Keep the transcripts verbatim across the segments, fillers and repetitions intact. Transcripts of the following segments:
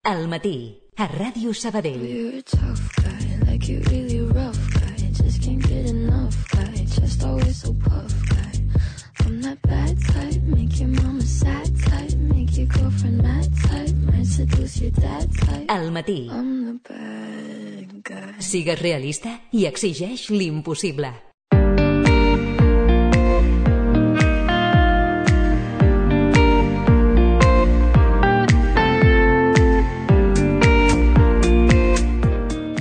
Al matí, a Ràdio Sabadell. You're a tough guy, like you really rough guy. Just can't get enough guy, just always so puff guy. I'm that bad type, make your mama sad type, make your girlfriend mad type, might seduce your dad type. Al matí. I'm the bad guy. Sigues realista i exigeix l'impossible.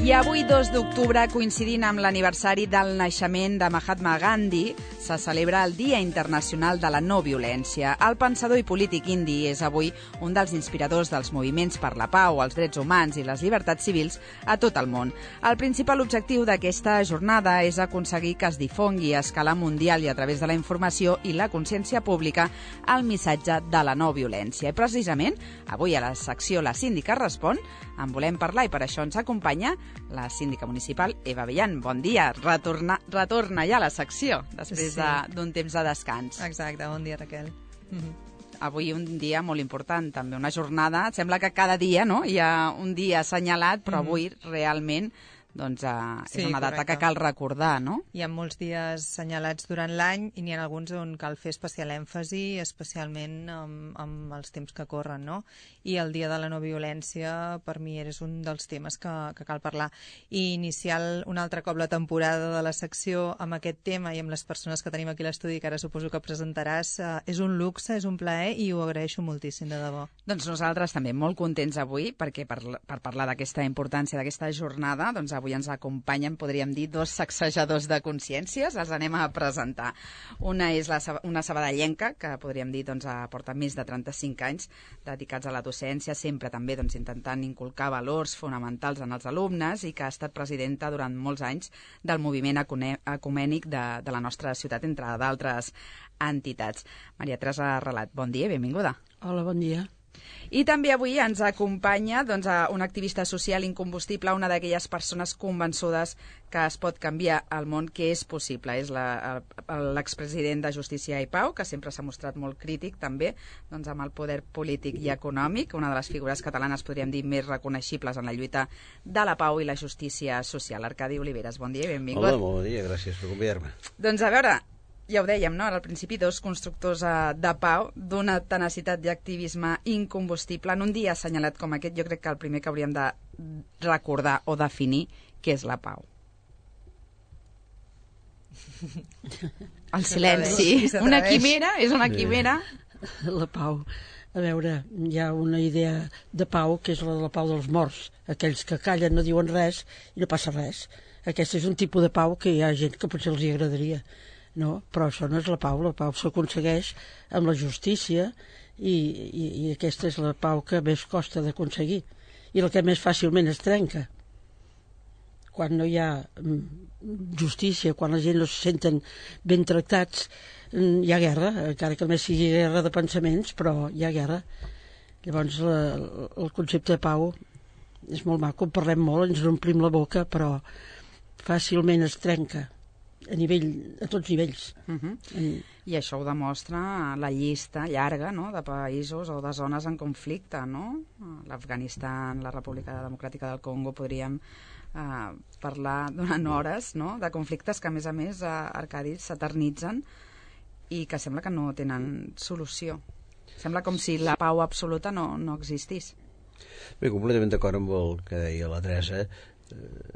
I avui, dos d'octubre, coincidint amb l'aniversari del naixement de Mahatma Gandhi, se celebra el Dia Internacional de la No Violència. El pensador i polític indi és avui un dels inspiradors dels moviments per la pau, els drets humans i les llibertats civils a tot el món. El principal objectiu d'aquesta jornada és aconseguir que es difongui a escala mundial i a través de la informació i la consciència pública el missatge de la no violència. I precisament, avui a la secció La Síndica Respon, en volem parlar i per això ens acompanya la síndica municipal Eva Villan. Bon dia, retorna, retorna ja a la secció després Sí. d'un temps de descans. Exacte, bon dia, Raquel. Avui un dia molt important, també una jornada. Sembla que cada dia, no?, hi ha un dia assenyalat, però avui realment doncs, uh, és Sí, una data correcte. que cal recordar, no? Hi ha molts dies assenyalats durant l'any i n'hi ha alguns on cal fer especial èmfasi, especialment amb, amb els temps que corren, no? I el Dia de la No Violència, per mi, és un dels temes que, que cal parlar. I iniciar un altre cop la temporada de la secció amb aquest tema i amb les persones que tenim aquí a l'estudi, que ara suposo que presentaràs, uh, és un luxe, és un plaer i ho agraeixo moltíssim, de debò. Doncs nosaltres també molt contents avui, perquè per, per parlar d'aquesta importància d'aquesta jornada, doncs avui ens acompanyen, podríem dir, dos sacsejadors de consciències. Els anem a presentar. Una és la, una sabadellenca, que podríem dir doncs, porta més de trenta-cinc anys dedicats a la docència, sempre també doncs, intentant inculcar valors fonamentals en els alumnes i que ha estat presidenta durant molts anys del moviment ecumènic de, de la nostra ciutat, entre d'altres entitats. Maria Teresa Relat, bon dia i benvinguda. Hola, bon dia. I també avui ens acompanya doncs, una activista social incombustible, una d'aquelles persones convençudes que es pot canviar el món, que és possible. És l'expresident de Justícia i Pau, que sempre s'ha mostrat molt crític també doncs, amb el poder polític i econòmic, una de les figures catalanes, podríem dir, més reconeixibles en la lluita de la pau i la justícia social. Arcadi Oliveres, bon dia i benvingut. Hola, bon dia, gràcies per convidar-me. Doncs a veure, ja ho dèiem, no?, al principi, dos constructors uh, de pau, d'una tenacitat i activisme incombustible. En un dia assenyalat com aquest, jo crec que el primer que hauríem de recordar o definir què és la pau. El silenci. Una quimera, és una quimera. La pau. A veure, hi ha una idea de pau que és la de la pau dels morts. Aquells que callen, no diuen res i no passa res. Aquest és un tipus de pau que hi ha gent que potser els hi agradaria. No, però això no és la pau, la pau s'aconsegueix amb la justícia i, i, i aquesta és la pau que més costa d'aconseguir i la que més fàcilment es trenca. Quan no hi ha justícia, quan la gent no se senten ben tractats, hi ha guerra, encara que només sigui guerra de pensaments, però hi ha guerra. Llavors la, el concepte de pau és molt maco, en parlem molt, ens omplim la boca, però fàcilment es trenca. A nivell, a tots nivells. Uh-huh. en... I això ho demostra la llista llarga, no?, de països o de zones en conflicte, no? L'Afganistan, la República Democràtica del Congo, podríem eh, parlar durant hores, no?, de conflictes que, a més a més, a Arcadi s'eternitzen i que sembla que no tenen solució. Sembla com si la pau absoluta no, no existís. Bé, completament d'acord amb el que deia la Teresa.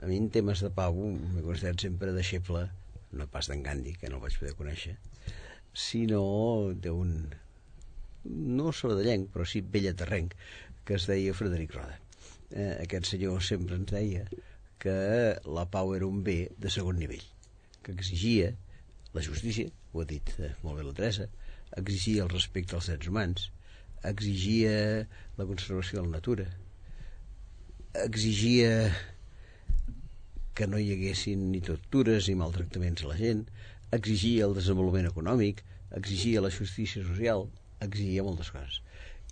A mi en temes de pau m'he considerat sempre deixeble, no pas d'en Gandhi, que no el vaig poder conèixer, sinó d'un, no sabadellenc, però sí bellaterrenc, que es deia Frederic Roda. Eh, aquest senyor sempre ens deia que la pau era un bé de segon nivell, que exigia la justícia, ho ha dit eh, molt bé la Teresa, exigia el respecte als drets humans, exigia la conservació de la natura, exigia que no hi haguessin ni tortures ni maltractaments a la gent, exigia el desenvolupament econòmic, exigia la justícia social, exigia moltes coses.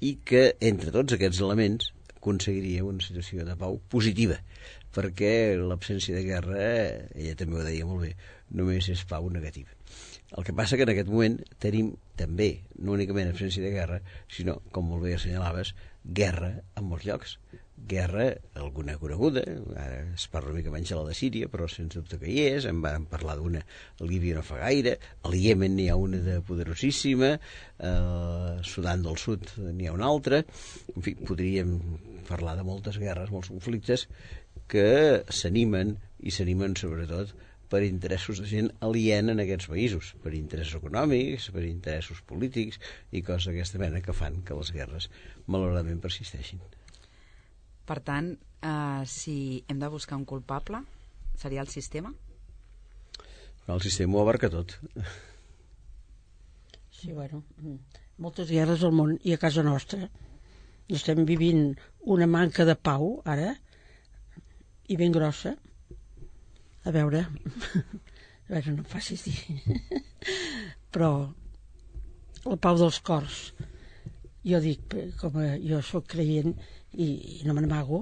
I que, entre tots aquests elements, aconseguiria una situació de pau positiva, perquè l'absència de guerra, ella també ho deia molt bé, només és pau negativa. El que passa que en aquest moment tenim també, no únicament absència de guerra, sinó, com molt bé assenyalaves, guerra en molts llocs. guerra, alguna coneguda, ara es parla una mica menys de la de Síria, però sense dubte que hi és, en vam parlar d'una a Líbia no fa gaire, al Iemen n'hi ha una de poderosíssima, a Sudan del Sud n'hi ha una altra, en fi, podríem parlar de moltes guerres, molts conflictes que s'animen, i s'animen sobretot per interessos de gent aliena en aquests països, per interessos econòmics, per interessos polítics i coses d'aquesta mena que fan que les guerres malauradament persisteixin. Per tant, eh, si hem de buscar un culpable, seria el sistema? El sistema ho abarca tot. Sí, bueno, moltes guerres al món i a casa nostra. Estem vivint una manca de pau, ara, i ben grossa. A veure, a veure, no em facis dir. Però la pau dels cors, jo dic, com a, jo sóc creient i, i no me n'amago,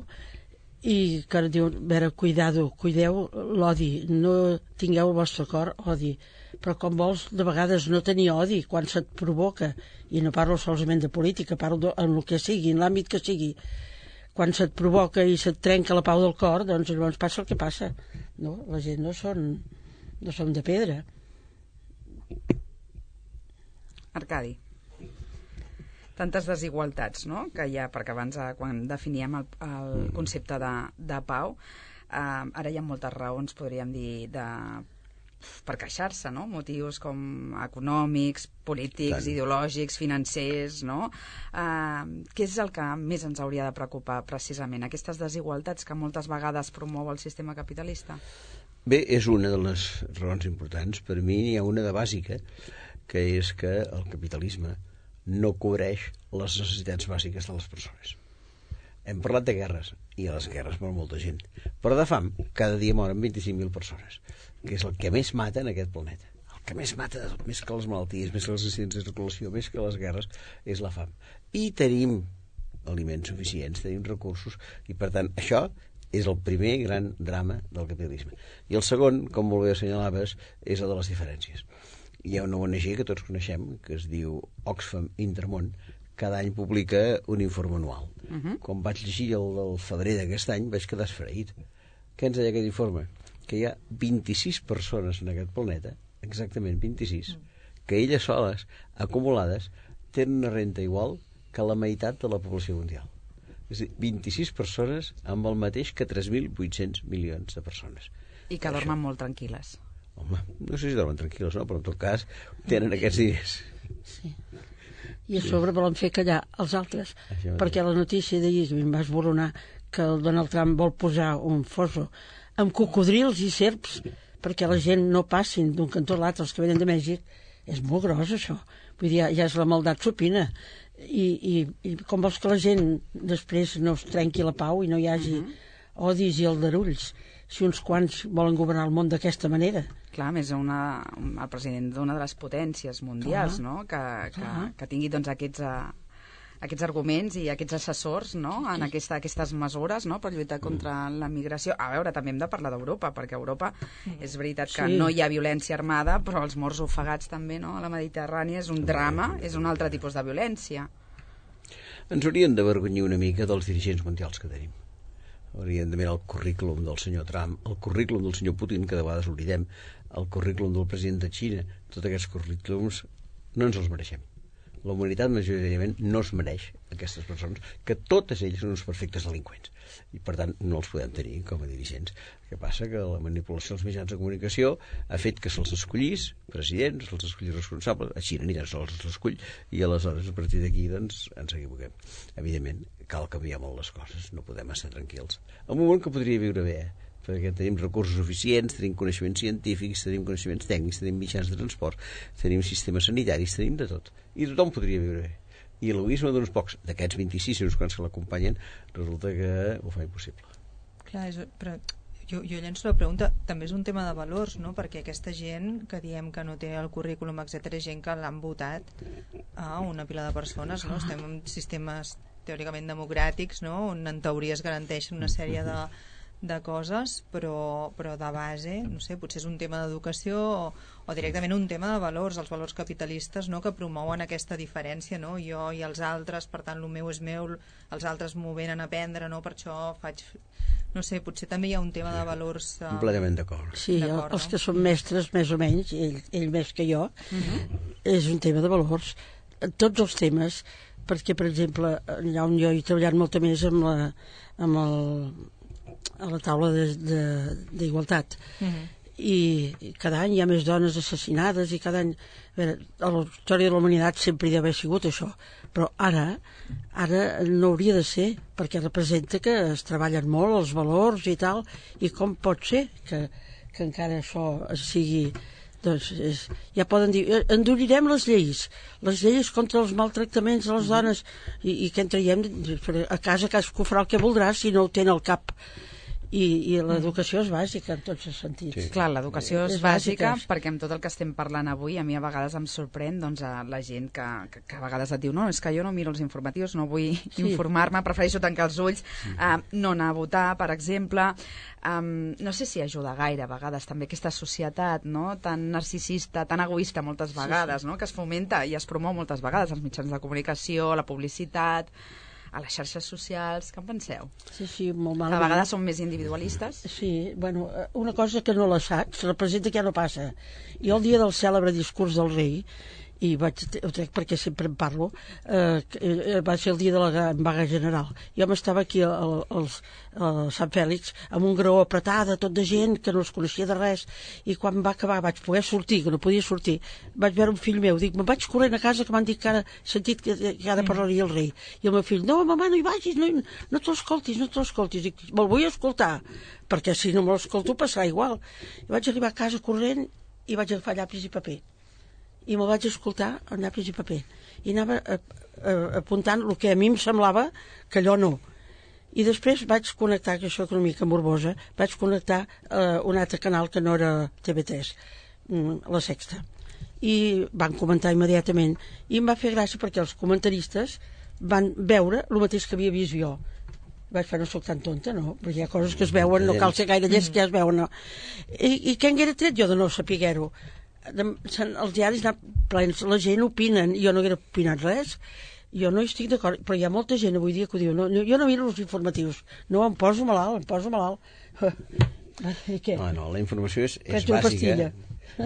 i que diu, a veure, cuidado, cuideu l'odi, no tingueu el vostre cor odi, però com vols de vegades no tenir odi quan se't provoca, i no parlo solament de política, parlo de, en el que sigui, en l'àmbit que sigui, quan se't provoca i se't trenca la pau del cor, doncs llavors passa el que passa, no? La gent no són, no són de pedra. Arcadi, tantes desigualtats, no?, que hi ha, perquè abans, eh, quan definíem el, el concepte de, de pau, eh, ara hi ha moltes raons, podríem dir, de, per queixar-se, no?, motius com econòmics, polítics, Tant. ideològics, financers, no? Eh, què és el que més ens hauria de preocupar, precisament? Aquestes desigualtats que moltes vegades promou el sistema capitalista? Bé, és una de les raons importants. Per mi n'hi ha una de bàsica, que és que el capitalisme no cobreix les necessitats bàsiques de les persones. Hem parlat de guerres, i a les guerres mor molta gent, però de fam cada dia moren vint-i-cinc mil persones, que és el que més mata en aquest planeta. El que més mata de tot, més que les malalties, més que les accidents de circulació, més que les guerres, és la fam. I tenim aliments suficients, tenim recursos, i per tant això és el primer gran drama del capitalisme. I el segon, com molt bé assenyalaves, és el de les diferències. Hi ha una O N G que tots coneixem, que es diu Oxfam Intermón, cada any publica un informe anual. Uh -huh. Quan vaig llegir el del febrer d'aquest any vaig quedar esfereït. Què ens deia aquest informe? Que hi ha vint-i-sis persones en aquest planeta, exactament vint-i-sis, que elles soles, acumulades, tenen una renta igual que la meitat de la població mundial. És a dir, vint-i-sis persones amb el mateix que tres mil vuit-cents milions de persones. I que dormen molt tranquil·les. Home, no sé si dormen tranquil·les, no? Però en tot cas tenen aquests diners. Sí. I a sobre volen fer callar els altres, perquè la notícia d'ahir que em va esboronar que el Donald Trump vol posar un foso amb cocodrils i serps perquè la gent no passin d'un cantó a l'altre, els que venen de Mèxic, és molt gros això. Vull dir, ja és la maldat supina. I, i, i com vols que la gent després no es trenqui la pau i no hi hagi uh -huh. odis i aldarulls, si uns quants volen governar el món d'aquesta manera? Clar, més una, el president d'una de les potències mundials, Clar. no?, que, que, Clar. que tingui doncs, aquests, uh, aquests arguments i aquests assessors, no?, en aquesta, aquestes mesures, no?, per lluitar contra la migració. A veure, també hem de parlar d'Europa, perquè a Europa és veritat que Sí. no hi ha violència armada, però els morts ofegats també, no?, a la Mediterrània és un drama, és un altre tipus de violència. Ens haurien d'avergonyir una mica dels dirigents mundials que tenim. Haurien de mirar el currículum del senyor Trump, el currículum del senyor Putin, que de vegades oblidem, el currículum del president de Xina. Tots aquests currículums no ens els mereixem. La humanitat majoritàriament no es mereix aquestes persones, que totes elles són uns perfectes delinqüents, i per tant no els podem tenir com a dirigents. El que passa que la manipulació dels mitjans de comunicació ha fet que se'ls escollís presidents, se'ls escollís responsables, a Xina ni tan sols se'ls escull, i aleshores a partir d'aquí doncs ens equivoquem. Evidentment cal canviar molt les coses, no podem estar tranquils. En un moment que podria viure bé, eh? perquè tenim recursos suficients, tenim coneixements científics, tenim coneixements tècnics, tenim mitjans de transport, tenim sistemes sanitaris, tenim de tot. I tothom podria viure bé. I l'egoisme d'uns pocs, d'aquests vint-i-sis, uns quants que l'acompanyen, resulta que ho fa impossible. Clar, és, però jo, jo llenço la pregunta, també és un tema de valors, no?, perquè aquesta gent que diem que no té el currículum, etcètera, és gent que l'han votat a una pila de persones, no? Estem en sistemes teòricament democràtics, no?, on en teoria es garanteixen una sèrie de de coses, però, però de base, no sé, potser és un tema d'educació o, o directament un tema de valors, els valors capitalistes, no?, que promouen aquesta diferència, no?, jo i els altres, per tant, el meu és meu, els altres m'ho venen a aprendre, no?, per això faig... No sé, potser també hi ha un tema de valors... Uh... Completament d'acord. Sí, d'acord, els no? que són mestres, més o menys, ell, ell més que jo, uh-huh. és un tema de valors. Tots els temes, perquè, per exemple, allà on jo he treballat molt més amb la... amb el a la taula d'igualtat uh-huh. i cada any hi ha més dones assassinades i cada any, a veure, a la història de la humanitat sempre hi ha d'haver sigut això, però ara ara no hauria de ser, perquè representa que es treballen molt els valors i tal, i com pot ser que, que encara això sigui, doncs és, ja poden dir, endurirem les lleis les lleis contra els maltractaments a les dones i, i què en traiem a casa cadascú farà el que voldrà si no ho té al cap. I, i l'educació és bàsica en tots els sentits. Sí. Clar, l'educació és, és bàsica, bàsica perquè amb tot el que estem parlant avui a mi a vegades em sorprèn doncs, a la gent que, que, que a vegades et diu no, és que jo no miro els informatius, no vull sí. informar-me, prefereixo tancar els ulls, sí. uh, no anar a votar, per exemple. Um, no sé si ajuda gaire a vegades també aquesta societat, no?, tan narcisista, tan egoista moltes vegades, sí, sí. no?, que es fomenta i es promou moltes vegades als mitjans de comunicació, a la publicitat, a les xarxes socials. Què en penseu? Sí, sí, molt malament. A vegades són més individualistes. Sí, bueno, una cosa que no la saps representa que ja no passa. Jo el dia del cèlebre discurs del rei, i vaig, ho trec perquè sempre en parlo, eh, va ser el dia de la vaga general. Jo m'estava aquí al, al, al Sant Fèlix amb un graó apretada, tot de gent que no es coneixia de res, i quan va acabar vaig poder sortir, que no podia sortir, vaig veure un fill meu, dic, me'n vaig corrent a casa que m'han dit que ara sentit que, que ara parlaria el rei, i el meu fill, no, mamà, no hi vagis, no, no te l'escoltis, no te l'escoltis, dic, me'l vull escoltar, perquè si no me l'escolto passarà igual. I vaig arribar a casa corrent i vaig agafar llapis i paper i me'l vaig escoltar amb llapis i paper i anava a, a, apuntant el que a mi em semblava que allò no, i després vaig connectar, que això és una mica morbosa, vaig connectar uh, un altre canal que no era T V tres, La Sexta, i van comentar immediatament i em va fer gràcia perquè els comentaristes van veure el mateix que havia vist jo. Vaig fer, no soc tan tonta, no? Perquè hi ha coses que es veuen, no cal ser gaire llest que ja es veuen, no? I, i què en haguera tret jo de no saber-ho? Els diaris plens, la gent opinen, jo no haguera opinat res, jo no hi estic d'acord, però hi ha molta gent avui dia que ho diu, no, jo no miro els informatius, no, em poso malalt, em poso malalt. I què? No, no, la informació és, és bàsica,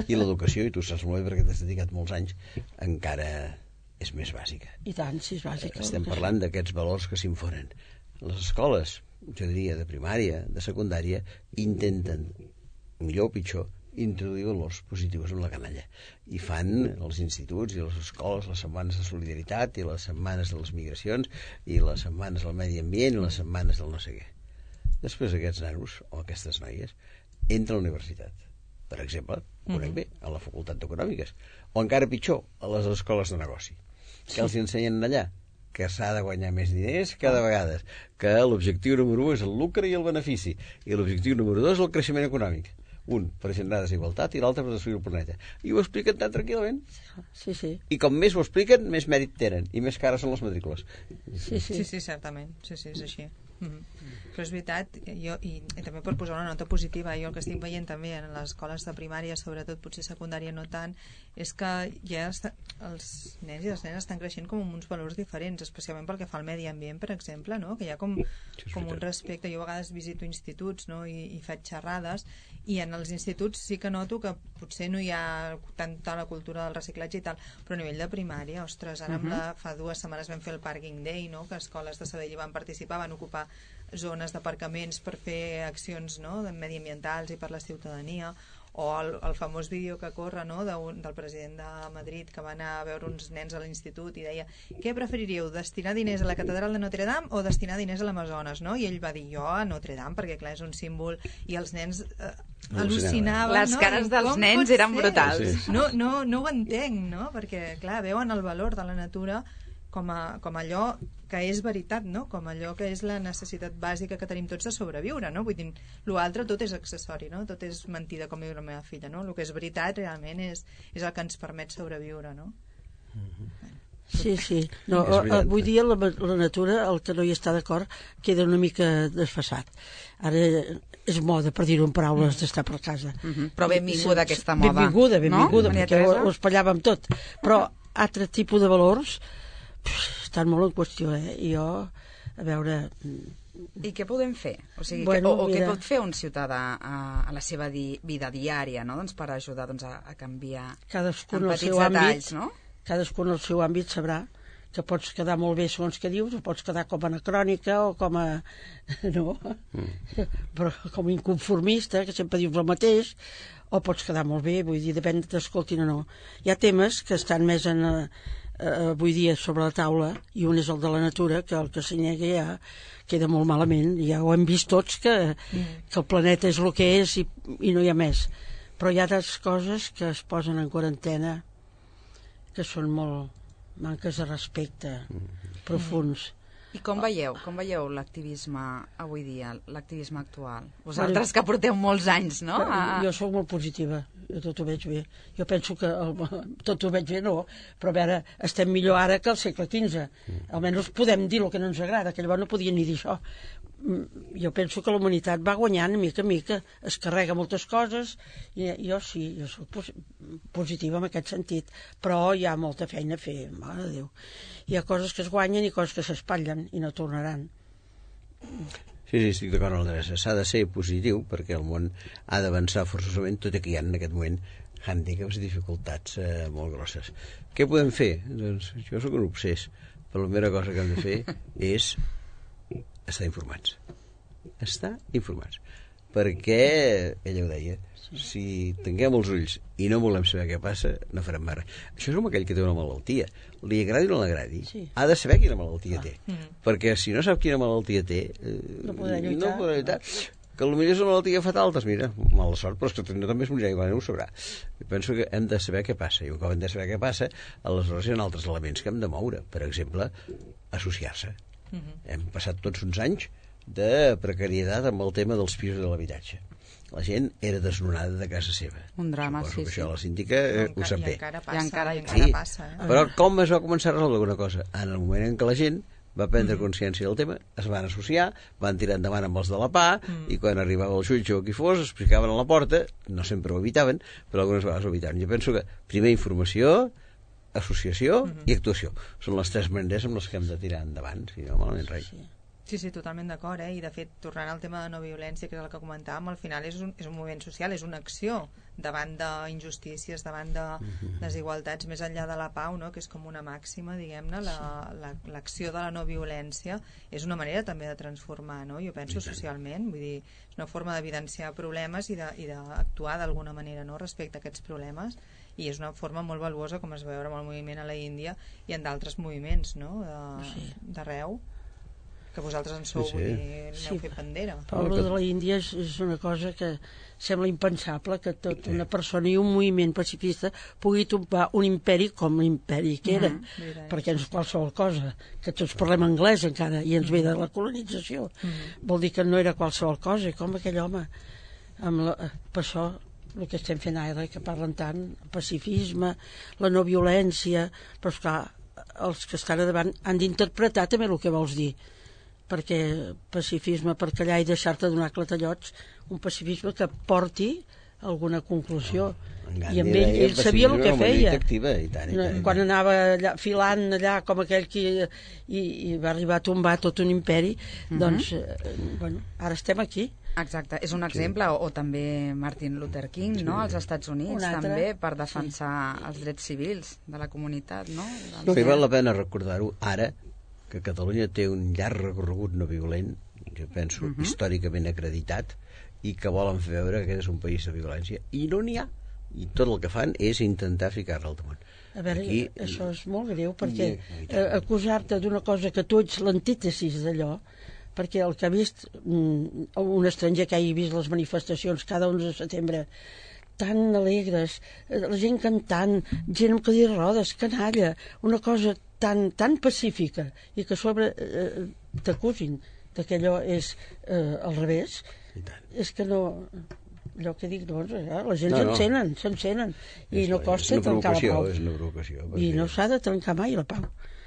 i l'educació, i tu saps molt bé perquè t'has dedicat molts anys, encara és més bàsica. I tant, sí, és bàsica. Estem parlant d'aquests valors que s'infonen. Les escoles, jo diria, de primària, de secundària, intenten, millor o pitjor, introduir valors positius en la canalla, i fan els instituts i les escoles les setmanes de solidaritat i les setmanes de les migracions i les setmanes del medi ambient i les setmanes del no sé què. Després aquests nanos o aquestes noies entren a la universitat, per exemple, conec bé, a la facultat d'econòmiques, o encara pitjor, a les escoles de negoci, que els ensenyen allà que s'ha de guanyar més diners cada vegada, que l'objectiu número u és el lucre i el benefici, i l'objectiu número dos és el creixement econòmic. Un per generar desigualtat i l'altre per destruir el planeta. I ho expliquen tan tranquil·lament. Sí, sí. I com més ho expliquen, més mèrit tenen i més cares són les matrícules. Sí, sí, sí, sí, certament. Sí, sí, és així. Mm-hmm. Però és veritat, jo, i, i també per posar una nota positiva, jo el que estic veient també en les escoles de primària, sobretot potser secundària no tant, és que ja està, els nens i les nenes estan creixent com amb uns valors diferents, especialment pel que fa al medi ambient, per exemple, no? Que hi ha com, com un respecte. Jo a vegades visito instituts, no? I, i faig xerrades, i en els instituts sí que noto que potser no hi ha tanta la cultura del reciclatge i tal, però a nivell de primària, ostres, ara uh-huh. la, fa dues setmanes vam fer el Parking Day, no? Que escoles de Sabadell hi van participar, van ocupar zones d'aparcaments per fer accions, no? mediambientals i per la ciutadania, o el, el famós vídeo que corre, no? de un, del president de Madrid que va anar a veure uns nens a l'institut i deia, què preferiríeu, destinar diners a la catedral de Notre Dame o destinar diners a l'Amazones, no? I ell va dir, jo a Notre Dame, perquè clar, és un símbol, i els nens eh, al·lucinaven. Les no? cares dels nens eren brutals. Sí, sí. No, no, no ho entenc, no? Perquè clar, veuen el valor de la natura com, a, com allò que és veritat, no? Com allò que és la necessitat bàsica que tenim tots de sobreviure, no? Vull dir, l'altre tot és accessori, no? Tot és mentida, com diu la meva filla, no? El que és veritat realment és, és el que ens permet sobreviure, no? Mm-hmm. Sí, sí. No, És veritat. avui dia la, la natura, el que no hi està d'acord, queda una mica desfasat. Ara és moda, per dir-ho en paraules, d'estar per casa. Mm-hmm. Però benvinguda aquesta moda. Benvinguda, benvinguda, no? perquè ho, ho espallàvem tot. Però altre tipus de valors pff, estan molt en qüestió, eh? I jo, a veure... I què podem fer? O, sigui, Bueno, que, o, o mira. què pot fer un ciutadà a, a la seva di, vida diària, no? Doncs per ajudar doncs, a, a canviar Cadascú en en el petits seu detalls, àmbit, no? cadascú en el seu àmbit sabrà que pots quedar molt bé segons que dius, o pots quedar com a anacrònica o com a... no? Mm. Però com a inconformista, que sempre dius el mateix, o pots quedar molt bé, vull dir, depèn de t'escoltin o no. Hi ha temes que estan més en, eh, avui dia sobre la taula, i un és el de la natura, que el que s'hi nega ja queda molt malament, ja ho hem vist tots, que, mm. que el planeta és el que és i, i no hi ha més. Però hi ha altres coses que es posen en quarantena que són molt manques de respecte profuns. I com veieu, com veieu l'activisme avui dia, l'activisme actual? Vosaltres que porteu molts anys, no? A... Jo sóc molt positiva, jo tot ho veig bé. Jo penso que el, tot ho veig bé, no, però a veure, estem millor ara que al segle quinze. Almenys podem dir el que no ens agrada, que llavors no podien ni dir això. Jo penso que la humanitat va guanyant mica a mica, es carrega moltes coses, i jo sí, jo soc pos positiva en aquest sentit, però hi ha molta feina a fer, mare de Déu. Hi ha coses que es guanyen i coses que s'espatllen i no tornaran. Sí, sí, estic d'acord amb l'Adreça. S'ha de ser positiu perquè el món ha d'avançar forçosament, tot i que hi ha en aquest moment hàndicaps i dificultats eh, molt grosses. Què podem fer? Doncs jo sóc un obsés, però la primera cosa que hem de fer és estar informats. Estar informats. Perquè, ella ho deia, si tanquem els ulls i no volem saber què passa, no farem mai res. Això és com aquell que té una malaltia. Li agradi o no l'agradi, sí. Ha de saber quina malaltia ah. té. Mm. Perquè si no sap quina malaltia té, eh, no podrà lluitar. No podrà lluitar. Que potser és una malaltia fatal, doncs mira, mala sort, però és que no també es morirà, igual no ho sabrà. Jo penso que hem de saber què passa, i un cop hem de saber què passa, aleshores hi ha altres elements que hem de moure. Per exemple, associar-se. Mm-hmm. Hem passat tots uns anys de precarietat amb el tema dels pisos de l'habitatge. La gent era desnonada de casa seva. Un drama, Suposo sí, que sí. això la síndica eh, ho sap bé. I encara passa. I encara, i encara sí. passa eh? Però com es va començar a resoldre alguna cosa? En el moment en què la gent va prendre consciència del tema, es van associar, van tirar endavant amb els de la P A, mm. i quan arribava el jutge o qui fos, explicaven a la porta, no sempre ho evitaven, però algunes vegades ho evitaven. Jo penso que primer informació, associació mm-hmm. i actuació. Són les tres maneres amb les que hem de tirar endavant, si no, malament res. Sí. Sí, sí, totalment d'acord, eh? I de fet, tornant al tema de no violència, que és el que comentàvem, al final és un, és un moviment social, és una acció davant d'injustícies, davant de desigualtats, més enllà de la pau, no? Que és com una màxima, diguem-ne, l'acció la, la, de la no violència és una manera també de transformar, no? Jo penso socialment, vull dir, és una forma d'evidenciar problemes i d'actuar d'alguna manera, no?, respecte a aquests problemes, i és una forma molt valuosa, com es veu amb el moviment a la Índia i en d'altres moviments, no?, d'arreu. Que vosaltres en sou, sí, sí. Vull dir, aneu sí. Fet bandera. Però el de la Índia és, és una cosa que sembla impensable, que tot una persona i un moviment pacifista pugui tombar un imperi com l'imperi que era, uh-huh. perquè no és qualsevol cosa, que tots parlem anglès encara i ens ve de la colonització. Uh-huh. Vol dir que no era qualsevol cosa, com aquell home. Amb la, per això el que estem fent ara, que parlen tant, el pacifisme, la no violència, però esclar, els que estan a davant han d'interpretar també el que vols dir, perquè pacifisme per callar i deixar-te donar clatellots, un pacifisme que porti alguna conclusió. No, i amb ell, ell sabia el que feia. Activa, i tant, i tant. Quan anava allà, filant allà com aquell que i, i va arribar a tombar tot un imperi, uh-huh. doncs eh, bueno, ara estem aquí. Exacte, és un exemple, o, o també Martin Luther King, no?, als Estats Units, també, per defensar sí. els drets civils de la comunitat, no? No, i val la pena recordar-ho ara, que Catalunya té un llarg recorregut no violent, jo penso, uh-huh. històricament acreditat, i que volen fer veure que aquest és un país de violència, i no n'hi ha. I tot el que fan és intentar ficar-la al damunt. A veure, aquí, això és molt greu, perquè eh, acusar-te d'una cosa que tu ets l'antítesis d'allò, perquè el que ha vist mm, un estranger que hagi vist les manifestacions cada onze de setembre tan alegres, la gent cantant, gent amb cadira de rodes, canalla, una cosa tan, tan pacífica, i que a sobre eh, t'acusin que allò és eh, al revés, és que no... allò que dic, doncs, eh, la gent No, no. s'encenen, s'encenen, i És- no costa és una trencar la provocació, pau. és una provocació, I perquè- no s'ha de trencar mai la pau.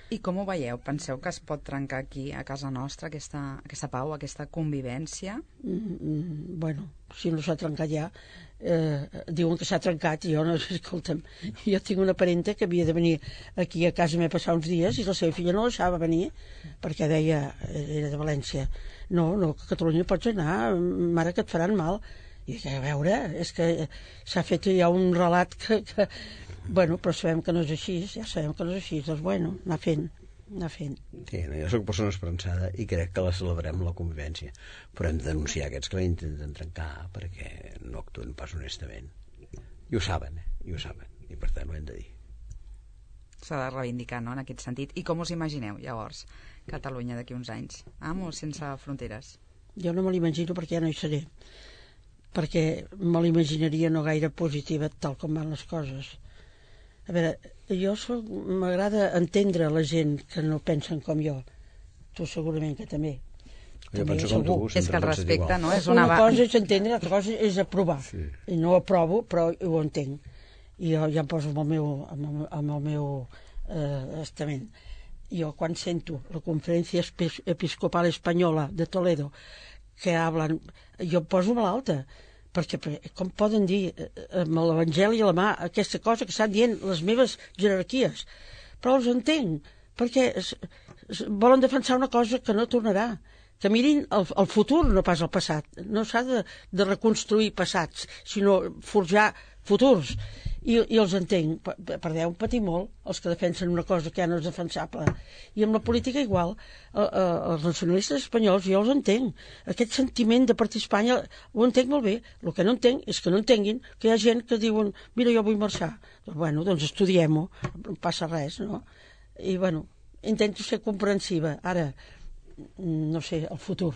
I com ho veieu? Penseu que es pot trencar aquí, a casa nostra, aquesta, aquesta pau, aquesta convivència? Mm, mm, bueno, si no s'ha trencat ja, eh, diuen que s'ha trencat, i jo no, escolta'm, jo tinc una parenta que havia de venir aquí a casa meva passar uns dies i la seva filla no deixava venir perquè deia, era de València, no, no, que a Catalunya pots anar, mare, que et faran mal. I que, a veure, és que s'ha fet ja un relat que, que bueno, però sabem que no és així, ja sabem que no és així, doncs bueno, anar fent, anar fent. Sí, no, jo soc persona esperançada i crec que la celebrem, la convivència, però hem de denunciar aquests que la intenten trencar perquè no actuen pas honestament. I ho saben, eh? I ho saben, i per tant ho hem de dir. S'ha de reivindicar, no?, en aquest sentit. I com us imagineu, llavors, Catalunya d'aquí uns anys? Amb o sense fronteres? Jo no me l'imagino perquè ja no hi seré, perquè me l'imaginaria no gaire positiva tal com van les coses. A veure, jo soc, m'agrada entendre la gent que no pensen com jo. Tu segurament que també. Jo També, penso com tu, segur. sempre És que el penses respecte, igual. no? És Una una... cosa és entendre, l'altra cosa és aprovar. Sí. I no aprovo, però ho entenc. I jo ja em poso amb el meu, amb el, amb el meu eh, estament. Jo quan sento la Conferència Espe- Episcopal Espanyola de Toledo que hablen, jo em poso malalta, perquè, perquè com poden dir eh, amb l'Evangeli a la mà aquesta cosa que estan dient les meves jerarquies? Però els entenc, perquè es, es, volen defensar una cosa que no tornarà, que mirin el, el futur, no pas el passat. No s'ha de, de reconstruir passats, sinó forjar futurs. I, i els entenc, per, per Déu, patir molt els que defensen una cosa que ja no és defensable. I amb la política igual, eh, eh, els nacionalistes espanyols jo els entenc, aquest sentiment de partir Espanya ho entenc molt bé. El que no entenc és que no entenguin que hi ha gent que diuen mira, jo vull marxar. Doncs, bueno, doncs estudiem-ho, no passa res, no? I bueno, intento ser comprensiva. Ara, no sé, el futur.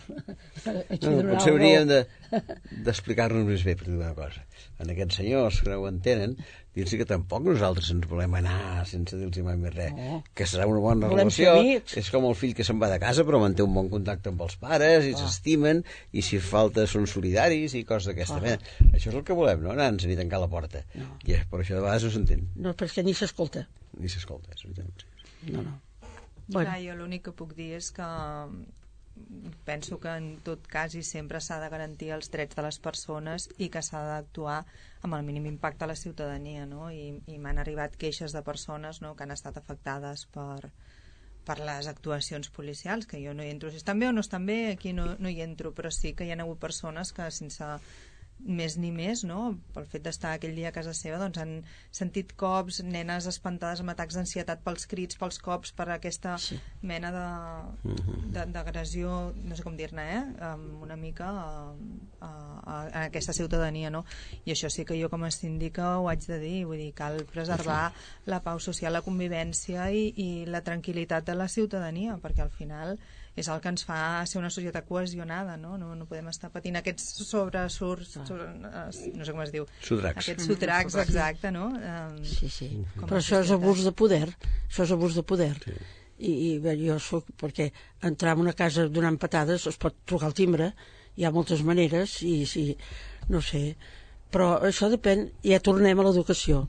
Aquí No, donarà potser el hauríem raó. de, d'explicar-nos més bé per dir una cosa. En aquests senyors que no ho entenen, dir-los que tampoc nosaltres ens volem anar sense dir-los mai més res. No. Que serà una bona Volem ser relació. amics. És com el fill que se'n va de casa però manté un bon contacte amb els pares i s'estimen i si falta són solidaris i coses d'aquesta Ah. mena. Això és el que volem, no? Anar-nos ni tancar la porta. No. I és, per això de vegades no s'entén. No, perquè ni s'escolta. Ni s'escolta, és veritat. No, no. Bueno, Clar, jo l'únic que puc dir és que penso que en tot cas i sempre s'ha de garantir els drets de les persones i que s'ha d'actuar amb el mínim impacte a la ciutadania, no? I, i m'han arribat queixes de persones, no?, que han estat afectades per, per les actuacions policials, que jo no hi entro. Si estan bé o no estan bé, aquí no, no hi entro, però sí que hi ha hagut persones que sense més ni més, no?, pel fet d'estar aquell dia a casa seva, doncs han sentit cops, nenes espantades amb atacs d'ansietat pels crits, pels cops, per aquesta Sí. mena de, de, d'agressió, no sé com dir-ne, eh? Um, una mica a, a, a, a aquesta ciutadania, no? I això sí que jo com a síndica ho haig de dir, vull dir, cal preservar la pau social, la convivència i, i la tranquil·litat de la ciutadania, perquè al final és el que ens fa ser una societat cohesionada, no? No, no podem estar patint aquests sobresurts, sobre, no sé com es diu, Sotracs. aquests sotracs, exacte, no? Um, sí, sí. com Però a això és societat. abús de poder. Això és abús de poder. Sí. I, i bé, jo soc... Perquè entrar en una casa donant patades es pot trucar al timbre, hi ha moltes maneres, i sí, no sé. Però això depèn, ja tornem a l'educació.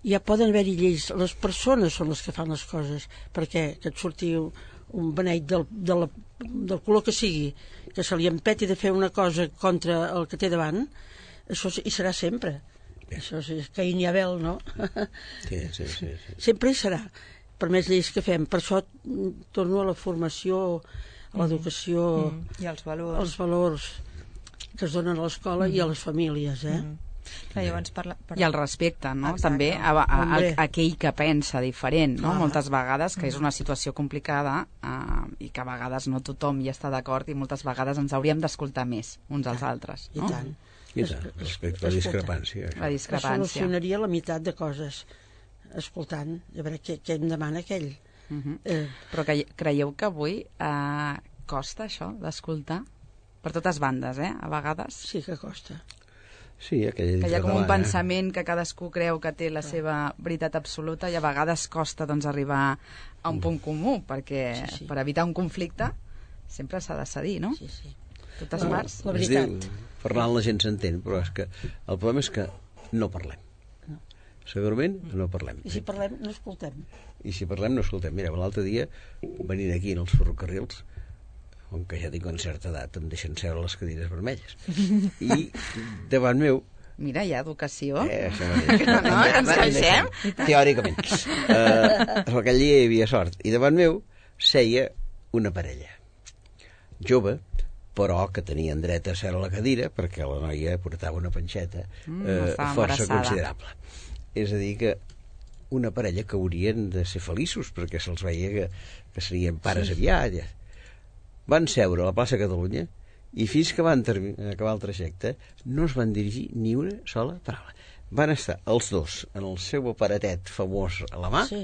Ja poden haver-hi lleis, les persones són les que fan les coses, perquè que et surti un, un beneit del, de la, del color que sigui, que se li empeti de fer una cosa contra el que té davant, això hi serà sempre. Això és Caín i Abel, no? Sí, sí, sí, sí. Sempre hi serà, per més lleis que fem. Per això mm, torno a la formació, a l'educació, Mm, i els valors. als valors que es donen a l'escola i a les famílies, eh? Mm. Clar, llavors parla, I el respecte, no? Exacte. També a, a, a, Hombre. a aquell que pensa diferent, no? Clar. Moltes vegades, que és una situació complicada eh, i que a vegades no tothom hi està d'acord i moltes vegades ens hauríem d'escoltar més uns als altres, I no? tant. I tant, respecte a la discrepància. La Es discrepància. solucionaria la meitat de coses escoltant, a veure què, què em demana aquell. Mhm. Eh, Però que, creieu que avui eh, costa això d'escoltar? Per totes bandes, eh? A vegades. sí que costa. Sí, aquella Que hi ha com un catalana. pensament que cadascú creu que té la seva veritat absoluta i a vegades costa doncs, arribar a un punt comú, perquè Sí, sí. per evitar un conflicte sempre s'ha de cedir, no? Sí, sí. Totes març. La Es veritat. diu, parlant la gent s'entén, però és que el problema és que no parlem. No. Segurament no parlem. I si parlem, no escoltem. I si parlem, no escoltem. Mira, l'altre dia, venint aquí en els ferrocarrils, on que ja tinc una certa edat, em deixen seure les cadires vermelles. I davant meu... Mira, hi ha educació. Eh, això mateix. No, no, que ens queixem. Teòricament. Uh, aquell dia hi havia sort. I davant meu seia una parella. Jove, però que tenien dret a seure a la cadira perquè la noia portava una panxeta Mm, eh, estava força embarassada. considerable. És a dir que una parella que haurien de ser feliços perquè se'ls veia que, que serien pares sí. aviat. Ja. Van seure a la plaça Catalunya i fins que van acabar el trajecte no es van dirigir ni una sola paraula. Van estar els dos en el seu aparatet famós a la mà. Sí.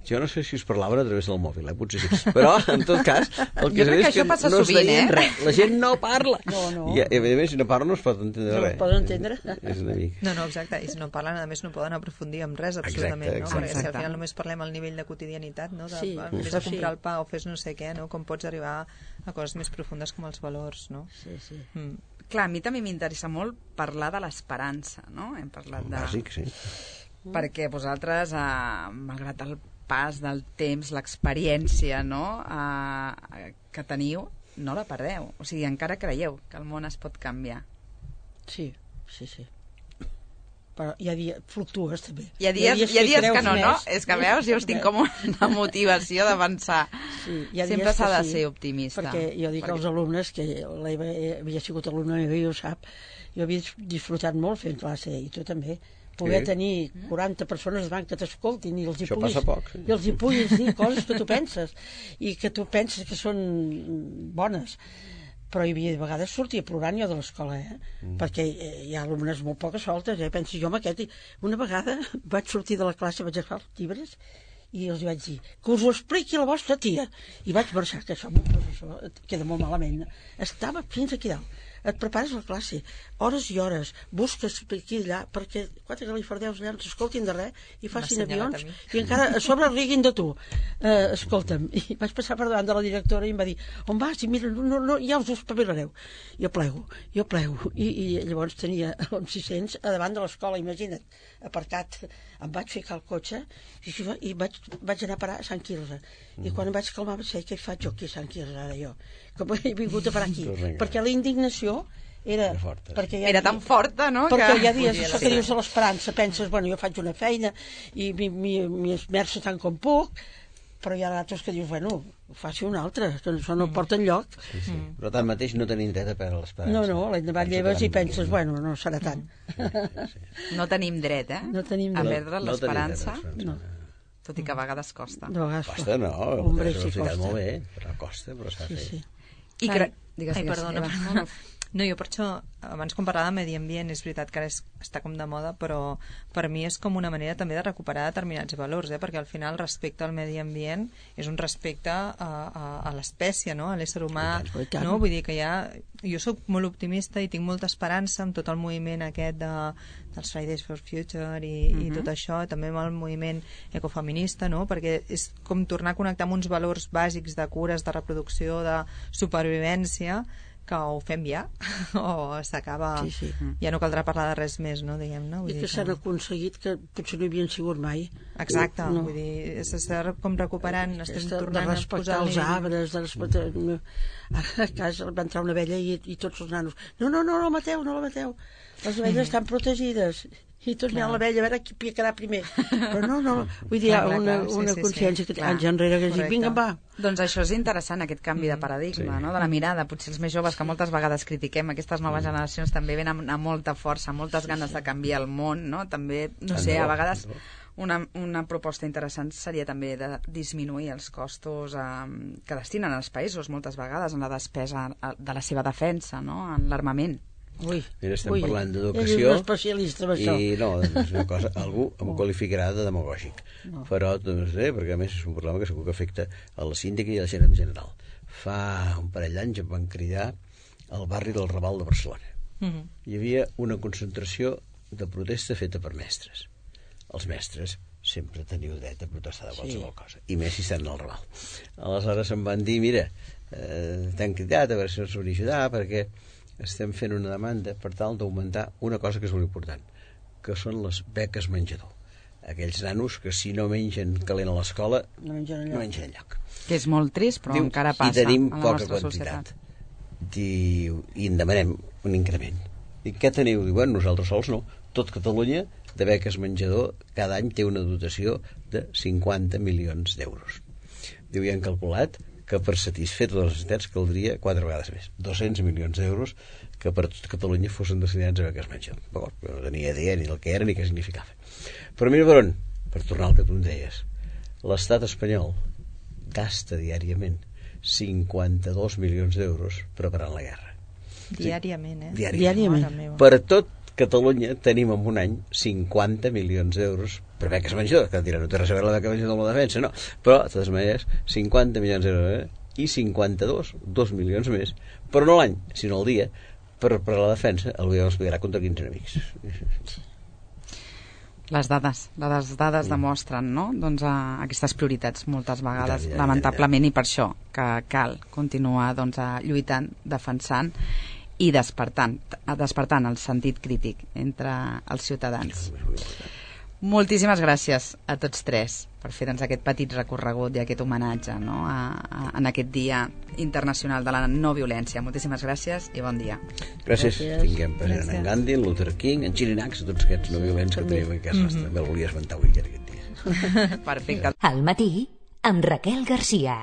Jo no sé si us parlaven a través del mòbil, eh? Potser sí. Però, en tot cas, el que Jo crec sé que és això passa no es sovint, deien eh? res. La gent no parla. No, no. I, a més, si no parla no es pot entendre No res. es poden entendre. És una mica... No, no, exacte, i si no parlen, a més no poden aprofundir en res, absolutament, Exacte, no? Perquè si al exacte. final només parlem al nivell de quotidianitat, no? De, Sí, vés això a comprar sí. el pa o fes no sé què, no? Com pots arribar a coses més profundes com els valors, no? Sí, sí. Mm. Clar, a mi també m'interessa molt parlar de l'esperança, no? Hem parlat de... Bàsic, sí. Perquè vosaltres, eh, malgrat el pas del temps, l'experiència, no?, eh, que teniu, no la perdeu. O sigui, encara creieu que el món es pot canviar. Sí, sí, sí. Però hi ha dies... Fluctues, també. Hi ha dies, hi ha dies creus que no, no? més. És que veus, jo us tinc com una motivació d'avançar. Sí, hi ha Sempre dies s'ha que de sí, ser optimista. Perquè jo dic Perquè- als alumnes, que l'Eva havia sigut alumna meva i ho sap, jo havia disfrutat molt fent classe, i tu també, poder Sí. tenir quaranta persones davant que t'escoltin i els hi Això puguis, passa poc, sí. i els hi puguis dir coses que tu penses i que tu penses que són bones. Però hi havia de vegades sortia plorant jo de l'escola, eh? Mm. Perquè eh, hi ha alumnes molt poques soltes, eh? Penso jo amb aquest... Una vegada vaig sortir de la classe, vaig agafar els llibres i els vaig dir que us ho expliqui la vostra tia. I vaig marxar, que això, això queda molt malament. Estava fins aquí dalt. Et prepares la classe, hores i hores, busques aquí i allà, perquè quatre galifardeus allà no s'escoltin de res i facin M'ha assenyalat avions a mi. i encara a sobre riguin de tu. Eh, escolta'm, i vaig passar per davant de la directora i em va dir, on vas? I mira, no, no, ja us ho espavilareu. Jo plego, jo plego. I, i llavors tenia uns sis-cents a davant de l'escola, imagina't, aparcat. Em vaig ficar al cotxe i, i vaig, vaig anar a parar a Sant Quirze. I quan em vaig calmar vaig dir, què faig jo aquí a Sant Quirze ara jo? Com he vingut a parar aquí? Perquè la indignació era... Era forta. Perquè hi ha Era di- tan forta, no? Perquè que... hi ha dies, Podia això ser. que dius de l'esperança, penses, bueno, jo faig una feina i m'hi esmerço tant com puc, però hi ha d'altres que dius, bueno, faci una altra, que això no porta enlloc. Sí, sí. Però tanmateix no tenim dret a perdre l'esperança. No, no, l'endemà Penso lleves que i penses, bueno, no serà tant. No tenim dret, eh? No tenim a dret. perdre No tenim dret a l'esperança, l'esperança. No. tot i que a vegades costa. De vegades Costa, no. Hombre, és sí una costa. molt bé, però costa, però s'ha de Sí, fer. sí. I Ai, cre... Digues, ai, digues, perdona, Eva. perdona. No, jo per això, abans quan parlava de medi ambient, és veritat que ara és, està com de moda, però per mi és com una manera també de recuperar determinats valors, eh? Perquè al final el respecte al medi ambient és un respecte a, a, a l'espècie, no? A l'ésser humà, I tant, i tant. no? Vull dir que ja... Jo sóc molt optimista i tinc molta esperança amb tot el moviment aquest de, dels Fridays for Future i, uh-huh. i tot això, també amb el moviment ecofeminista, no? Perquè és com tornar a connectar amb uns valors bàsics de cures, de reproducció, de supervivència, que ho fem ja o s'acaba, Sí, sí. ja no caldrà parlar de res més, no, diguem-ne. Vull I dir que s'han aconseguit que potser no hi havien sigut mai. Exacte, No. vull dir, s'està com recuperant, estem Aquesta, de tornant a respectar posar els arbres, de respectar... Ara a casa va entrar una abella i, i tots els nanos, no, no, no, no la mateu, no la mateu. Les abelles estan protegides. I tots mirant l'abella a veure qui quedarà primer. Però no, no, vull dir, hi ha Clar, clar, una, clar, sí, una sí, sí, consciència que clar. anys enrere que dic, Correcte. vinga, va. Doncs això és interessant, aquest canvi de paradigma, Sí. no? De la mirada. Potser els més joves, que moltes vegades critiquem, aquestes noves generacions també venen amb molta força, moltes ganes de canviar el món, no? També, no sé, a vegades una, una proposta interessant seria també de disminuir els costos eh, que destinen els països moltes vegades en la despesa eh, de la seva defensa, no? En l'armament. Ui, Mira, estem ui, parlant ell és d'educació un especialista en això. i no, és una cosa, algú em qualificarà de demagògic, No. però no sé, perquè a més és un problema que segur que afecta a la síndica i a la gent en general. Fa un parell d'anys em van cridar al barri del Raval de Barcelona. Mhm. Hi havia una concentració de protesta feta per mestres. Els mestres sempre teniu dret a protestar de qualsevol Sí. cosa, i més si estan al Raval. Aleshores em van dir, mira, eh, t'han cridat a veure si ens podria ajudar, perquè estem fent una demanda per tal d'augmentar una cosa que és molt important, que són les beques menjador. Aquells nanos que si no mengen calent a l'escola No mengen enlloc. no mengen enlloc. Que és molt trist, però Diu, encara passa i tenim a la poca nostra quantitat. societat. Diu, i en demanem un increment. I què teniu? Diu, bueno, nosaltres sols no. Tot Catalunya de beques menjador cada any té una dotació de cinquanta milions d'euros. Diu, i han calculat que per satisfer totes les necessitats caldria quatre vegades més, dos-cents milions d'euros que per tot Catalunya fossin destinats a beques menjador. D'acord, no tenia idea ni del que era ni què significava. Però mira per on, per tornar al que tu em deies, l'estat espanyol gasta diàriament cinquanta-dos milions d'euros preparant la guerra. Diàriament, eh? Diàriament. Mare meva. Per tot Catalunya tenim en un any cinquanta milions d'euros per beques menjador, que dirà, no té res a veure la beca menjador amb la defensa, no, però de totes maneres cinquanta milions d'euros eh? i cinquanta-dos, dos milions més, però no l'any, sinó el dia, per, per la defensa el govern es pagarà contra quinze enemics. Les dades, les dades demostren, no? Doncs a aquestes prioritats moltes vegades, Ja, ja, ja, lamentablement, i per això que cal continuar doncs, a lluitant, defensant i despertant, despertant el sentit crític entre els ciutadans. Moltíssimes gràcies a tots tres per fer doncs, aquest petit recorregut i aquest homenatge, no? a, a, en aquest Dia Internacional de la No Violència. Moltíssimes gràcies i bon dia. Gràcies. Gràcies. Tinguem present en Gandhi, en Luther King, en Chirinacs, tots aquests no violents que tenim en casa nostra. També el volia esmentar avui aquest dia. Perfecte. Al matí, amb Raquel Garcia.